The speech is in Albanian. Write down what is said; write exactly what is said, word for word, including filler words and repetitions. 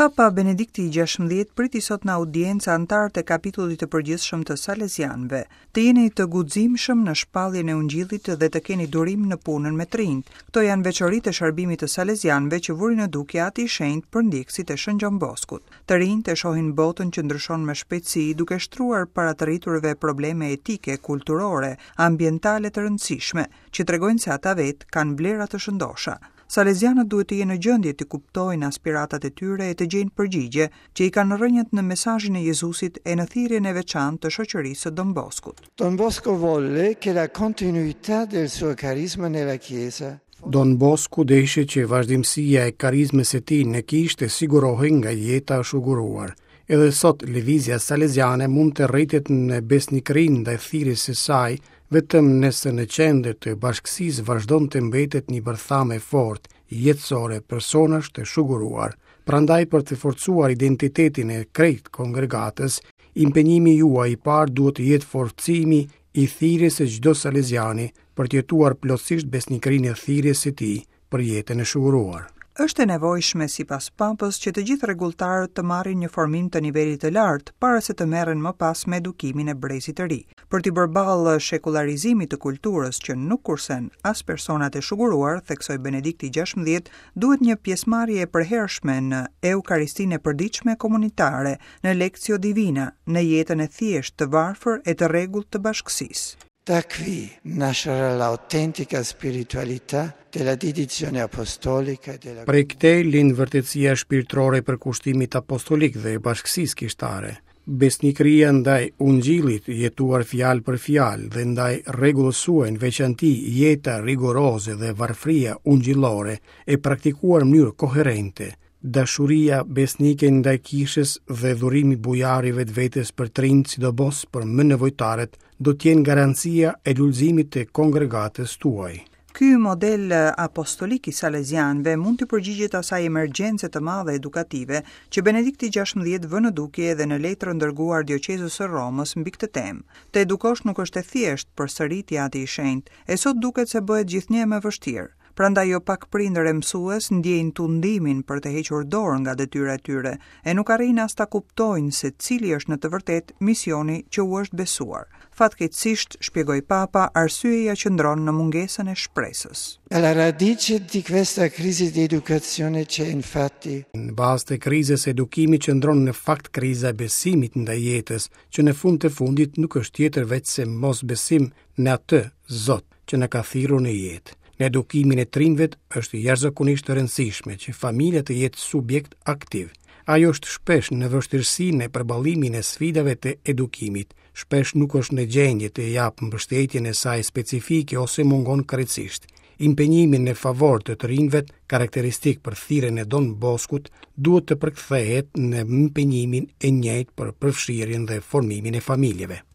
Papa Benedikti i gjashtëmbëdhjetë priti sot në audiencë anëtarët e kapitullit të përgjithshëm të Salesianëve. Të jeni të guximshëm në shpalljen e Ungjillit dhe të keni durim në punën me të rinjt. Këto janë veçoritë e shërbimit të Salesianëve që vuri në dukje Ati i Shenjtë për ndjekësit e Shën Gjon Boskut. Të rinjtë e shohin botën që ndryshon me shpejtësi, duke shtruar para të rriturve probleme etike, kulturore, ambientale të rëndësishme, që tregojnë se ata vetë kanë vlera të shëndosha. Salesianët duhet të jenë në gjendje të kuptojnë aspiratat e tyre e të gjejnë përgjigje që i kanë rrënjët në mesazhin e Jezusit e në thirrjen e veçantë të shoqërisë së Don Boskut. Don Bosco volle che la continuità del suo carisma nella Chiesa Don Bosco deshi që vazhdimësia e karizmës së tij në kishë të sigurohej nga jeta e shuguruar. Edhe sot lëvizja salesiane mund të rritet në besnikërinë ndaj thirrjes së saj vetëm nëse në qendër të bashkësisë vazhdon të mbetet një bërthamë e fortë, jetësore personash të shuguruar. Prandaj për të forcuar identitetin e krejt kongregatës, impenjimi juaj i parë duhet të jetë forcimi i thirrjes së çdo salesiani për të jetuar plotësisht besnikërinë e thirrjes së tij për jetën e shuguruar. Është e nevojshme sipas Papës që të gjithë rregulltarët të marrin një formim të nivelit të lartë para se të merren më pas me edukimin e brezit të ri. Për t'i bërë ballë shekullarizimit të kulturës që nuk kursen as personat e shuguruar, theksoi Benedikti i gjashtëmbëdhjetë, duhet një pjesëmarrje e përhershme në Eukaristinë e përditshme komunitare, në Lectio Divina, në jetën e thjeshtë, të varfër e të rregullt të bashkësisë. Da qui nascerà l'autentica spiritualità della dedizione apostolica e della Prej këtej lind vërtetësia shpirtërore e përkushtimit apostolik dhe e bashkësisë kishtare. Besnikëria ndaj Ungjillit, jetuar fjalë për fjalë, dhe ndaj rregullës suaj, në veçanti jeta rigoroze dhe varfëria ungjillore e praktikuar në mënyrë koherente, dashuria besnike ndaj kishës dhe dhurimi bujar i vetvetes për të rinjt, sidomos për më nevojtarët, do të jenë garancia e lulëzimit të kongregatës tuaj. Ky model apostolik i Salesianëve mund të përgjigjet asaj emergjence të madhe edukative që Benedikti i gjashtëmbëdhjetë vë në dukje edhe në letrën dërguar dioqezës së Romës mbi këtë temë. Të edukosh nuk është e thjeshtë, përsëriti Ati i Shenjtë, e sot duket se bëhet gjithnjë më vështirë. Prandaj jo pak prindër e mësues ndjejnë tundimin për të hequr dorë nga detyra e tyre e nuk arrijnë as ta kuptojnë se cili është në të vërtetë misioni që u është besuar. Fatkeqësisht, shpjegoi Papa, arsyeja qëndron në mungesën e shpresës. Alla radice di questa crisi di educazione c'è infatti Në bazë të krizës së edukimit qëndron në fakt kriza e besimit ndaj jetës, që në fund të fundit nuk është tjetër veçse mosbesim në atë Zot që na ka thirrur në jetë. Në edukimin e të rinjve është jashtëzakonisht e rëndësishme që familja të jetë subjekt aktiv. Ajo është shpesh në vështirësi në përballimin e sfidave të edukimit, shpesh nuk është në gjendje të japë mbështetjen e saj specifike ose mungon krejtësisht. Impenjimi në favor të të rinjve, karakteristik për thirrjen e Don Boskut, duhet të përkthehet në impenjimin e njëjtë për përfshirjen dhe formimin e familjeve.